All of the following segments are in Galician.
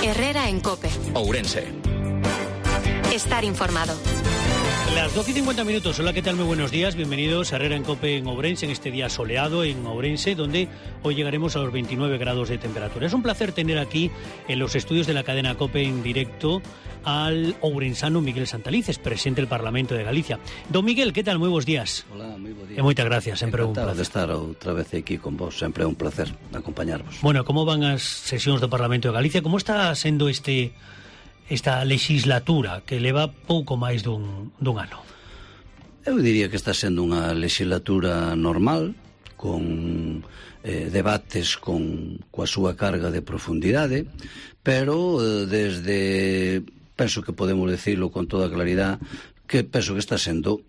Herrera en COPE. Ourense. Estar informado. Las 12:50. Hola, ¿qué tal? Muy buenos días. Bienvenidos a Herrera en COPE en Ourense, en este día soleado en Ourense, donde hoy llegaremos a los 29 grados de temperatura. Es un placer tener aquí en los estudios de la cadena COPE en directo al ourensano Miguel Santalices, presidente del Parlamento de Galicia. Don Miguel, ¿qué tal? Muy buenos días. Hola, moi bo día. E moitas gracias, sempre un placer. De estar outra vez aquí con vos, sempre é un placer acompañarvos. Bueno, como van as sesións do Parlamento de Galicia? Como está sendo esta legislatura que leva pouco máis dun ano? Eu diría que está sendo unha legislatura normal, con debates coa súa carga de profundidade, pero penso que podemos decirlo con toda claridade, que penso que está sendo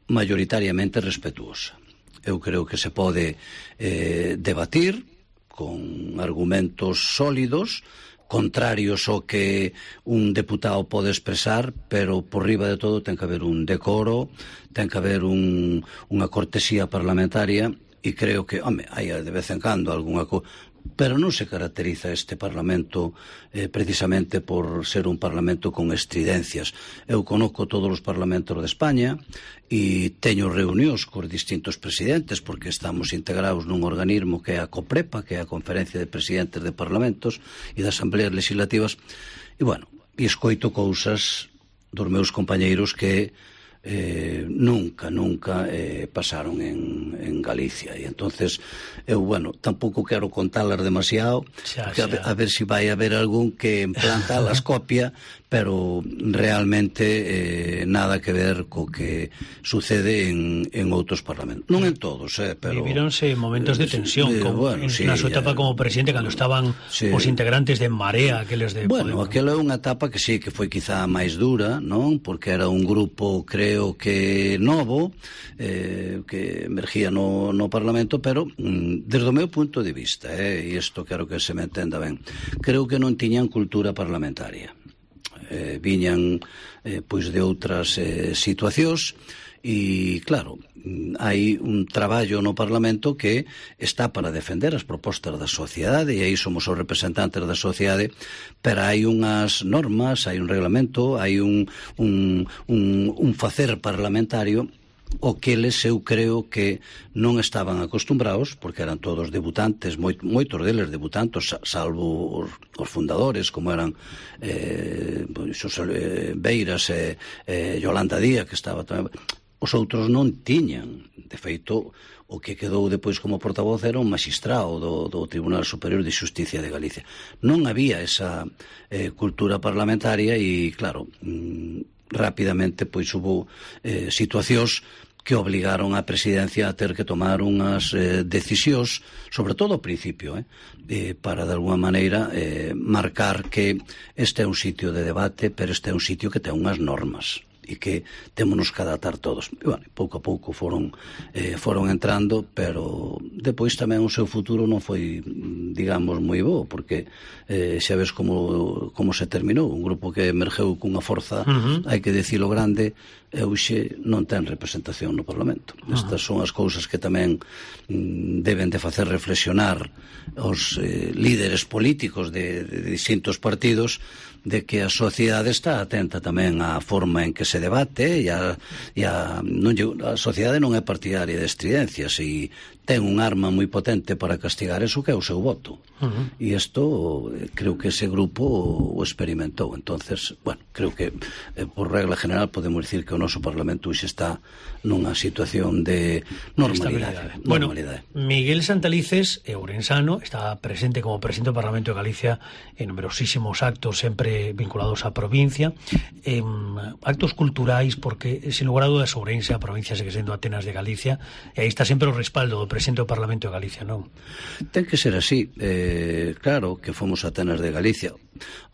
mayoritariamente respetuosa. Eu creo que se pode debatir con argumentos sólidos, contrarios ao que un deputado pode expresar, pero por riba de todo ten que haber un decoro, ten que haber unha cortesía parlamentaria, e creo que, hai de vez en cando algunha cousa, pero non se caracteriza este Parlamento precisamente por ser un Parlamento con estridencias. Eu conozco todos os Parlamentos de España e teño reunións cos distintos presidentes, porque estamos integrados nun organismo que é a COPREPA, que é a Conferencia de Presidentes de Parlamentos e de Asambleas Legislativas, e escoito cousas dos meus compañeiros que nunca pasaron en Galicia, e entonces eu, tampouco quero contalas demasiado, porque a ver se vai haber algún que en planta las copia, pero realmente nada que ver co que sucede en outros parlamentos, non en todos, pero vivíronse momentos de tensión, na súa etapa como presidente, cando estaban os integrantes de En Marea, aqueles de Podemos. Aquela é unha etapa que sí, que foi quizá máis dura, non? Porque era un grupo, creo que novo, que emergía no Parlamento, pero desde o meu punto de vista, e isto quero que se me entenda ben, creo que non tiñan cultura parlamentaria. Viñan pois de outras situacións, e claro, hai un traballo no Parlamento que está para defender as propostas da sociedade, e aí somos os representantes da sociedade, pero hai unhas normas, hai un reglamento, hai un facer parlamentario o que eles eu creo que non estaban acostumbrados, porque eran todos debutantes, moitos deles debutantes, salvo os fundadores, como eran Beiras e Yolanda Díaz, que estaba tamén. Os outros non tiñan. De feito, o que quedou depois como portavoz era un magistrado do Tribunal Superior de Xusticia de Galicia. Non había esa cultura parlamentaria e, claro, rapidamente pois hubo situacións que obligaron a presidencia a ter que tomar unhas decisións, sobre todo ao principio, para de alguma maneira marcar que este é un sitio de debate, pero este é un sitio que ten unhas normas e que témonos que adaptar todos. E, pouco a pouco foron entrando, pero depois tamén o seu futuro non foi, digamos, moi bo, porque xa ves como se terminou. Un grupo que emergeu cunha forza, hai que dicilo grande, e hoxe non ten representación no Parlamento. Estas son as cousas que tamén deben de facer reflexionar os líderes políticos de distintos partidos, de que a sociedade está atenta tamén á forma en que se debate, e a sociedade non é partidaria de estridencias, e ten un arma moi potente para castigar eso, que é o seu voto. E isto creo que ese grupo o experimentou. Entonces, creo que por regla general podemos dicir que o noso Parlamento hoxe está nunha situación de normalidade. Miguel Santalices, ourensano, está presente como presidente do Parlamento de Galicia en numerosísimos actos sempre vinculados á provincia, actos culturais, porque sin lugar a dudas Ourense, a provincia segue sendo Atenas de Galicia, e aí está sempre o respaldo do presidente do Parlamento de Galicia, non? Ten que ser así. Claro que fomos Atenas de Galicia.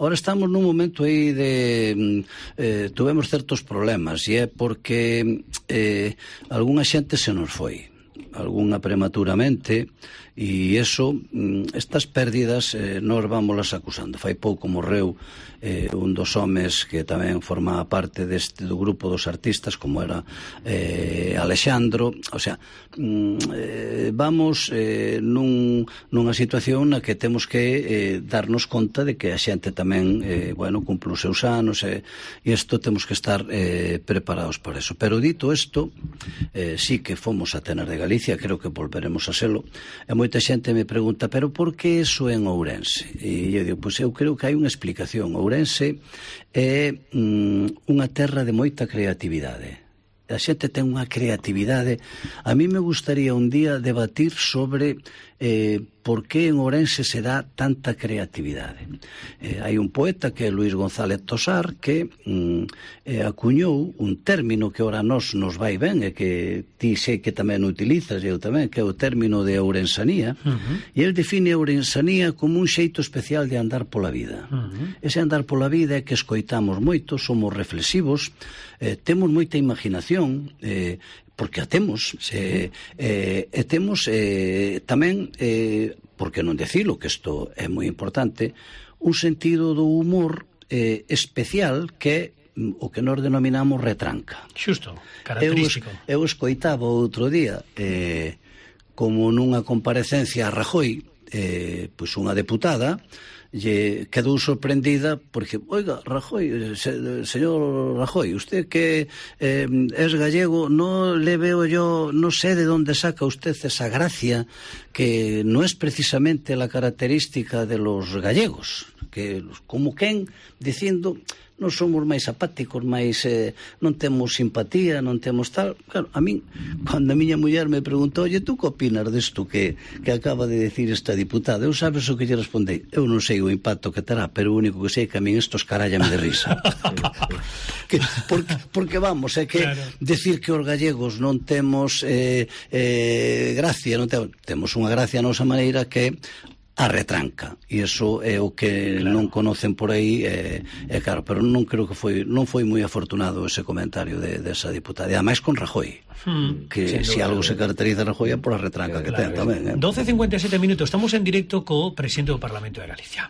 Ahora estamos nun momento aí de tuvemos certos problemas, e é porque algunha xente se nos foi, algunha prematuramente, E iso, estas pérdidas nós vámolas acusando. Fai pouco morreu un dos homes que tamén formaba parte do grupo dos artistas, como era Alexandro. O sea, vamos nunha situación na que temos que darnos conta de que a xente tamén cumpre os seus anos, e isto temos que estar preparados para eso. Pero dito isto, sí que fomos a Tenas de Galicia, creo que volveremos a selo, e moita xente me pregunta, pero por que eso en Ourense? E eu digo, pois eu creo que hai unha explicación. Ourense é unha terra de moita creatividade. A xente ten unha creatividade. A mí me gustaría un día debatir sobre por que en Ourense se dá tanta creatividade. Hai un poeta que é Luis González Tosar que acuñou un término que ora nos vai ben e que ti sei que tamén utilizas e eu tamén, que é o término de ourensanía. E el define a ourensanía como un xeito especial de andar pola vida. Ese andar pola vida é que escoitamos moito, somos reflexivos, temos moita imaginación, porque a temos, e temos tamén, por que non decilo, que isto é moi importante, un sentido do humor especial que é o que nós denominamos retranca. Xusto, característico. Eu escoitaba outro día, como nunha comparecencia a Rajoy, pois unha deputada lle quedou sorprendida porque, oiga, Rajoy, señor Rajoy, usted que es gallego, no le veo yo, no sé de dónde saca usted esa gracia que no es precisamente la característica de los gallegos, que como quen dicindo non somos máis apáticos, máis non temos simpatía, non temos tal. Claro, a min, cando a miña muller me preguntou, oye, tú que opinas desto que acaba de decir esta diputada? Eu sabes o que lle respondei? Eu non sei o impacto que terá, pero o único que sei é que a min estos carállame de risa. porque vamos, é que claro, decir que os gallegos non temos gracia, non temos unha gracia a nosa maneira que a retranca, e iso é o que claro, non conocen por aí, claro, pero non creo que non foi moi afortunado ese comentario desa diputada, e ademais con Rajoy, que se algo se caracteriza a Rajoy é por a retranca que ten tamén. 12:57 minutos, estamos en directo co presidente do Parlamento de Galicia.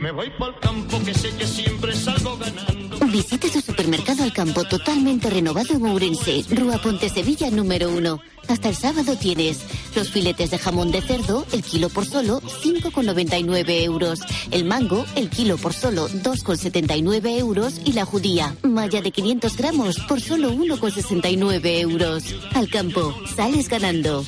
Me voy pa'l campo que sé que siempre salgo ganando. Visita su supermercado Al Campo totalmente renovado en Ourense, Rúa Pontesevilla número 1. Hasta el sábado tienes los filetes de jamón de cerdo, el kilo por solo 5,99 euros. El mango, el kilo por solo 2,79 euros. Y la judía, malla de 500 gramos por solo 1,69 euros. Al Campo, sales ganando.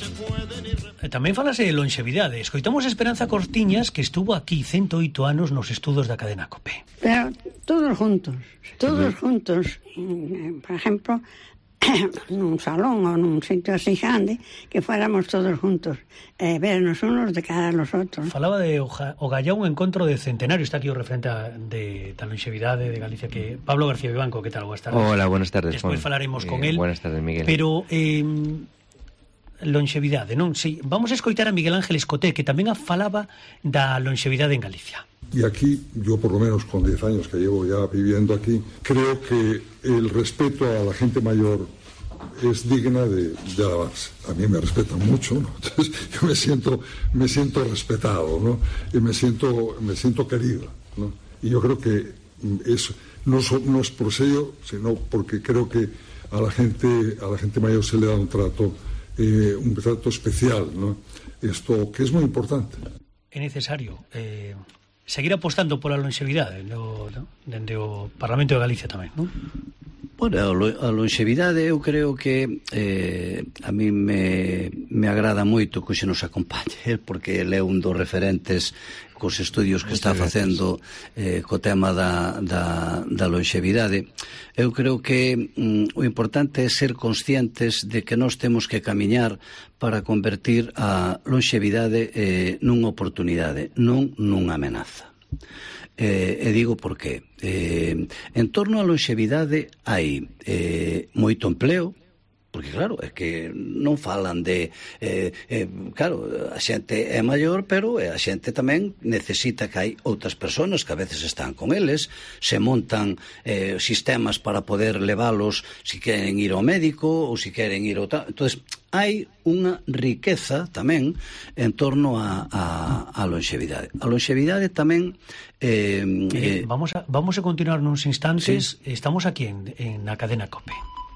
Tamén falase de longevidade. Escoitamos a Esperanza Cortiñas, que estuvo aquí 108 anos nos estudos da cadena COPE. Pero todos juntos. Por ejemplo, nun salón ou nun sitio así grande, que fuéramos todos juntos, vernos unos de cara a los outros. Falaba de o gallá un encontro de centenario. Está aquí o referente da longevidade de Galicia, que Pablo García Vivanco. Que tal? Buenas tardes. Hola, buenas tardes. Despois falaremos con él. Buenas tardes, Miguel. Pero longevidade, non? Sí, vamos a escoitar a Miguel Ángel Escoté, que tamén falaba da longevidade en Galicia. Y aquí, yo por lo menos con 10 años que llevo ya viviendo aquí, creo que el respeto a la gente mayor es digna de alabarse. A mí me respetan mucho, ¿no? Entonces yo me siento respetado, ¿no? Y me siento querido, ¿no? Y yo creo que eso no es por sello, sino porque creo que a la gente mayor se le da un trato especial, ¿no? Esto que es muy importante. É necesario seguir apostando pola longevidade dende o Parlamento de Galicia tamén, non? Bueno, a longevidade eu creo que a mí me agrada moito que hoxe nos acompañe, porque ele é un dos referentes cos estudios que está facendo co tema da longevidade. Eu creo que o importante é ser conscientes de que nós temos que camiñar para convertir a longevidade nunha oportunidade, non nunha amenaza. E digo por qué. En torno á longevidade hai moito empleo, Porque claro, é que non falan de claro, a xente é maior, pero a xente tamén necesita que hai outras persoas que a veces están con eles, se montan sistemas para poder leválos se queren ir ao médico ou se queren ir ao tal. Entonces, hai unha riqueza tamén en torno a longevidade. A longevidade tamén vamos a continuar nuns instantes. Sí. Estamos aquí en la cadena COPE.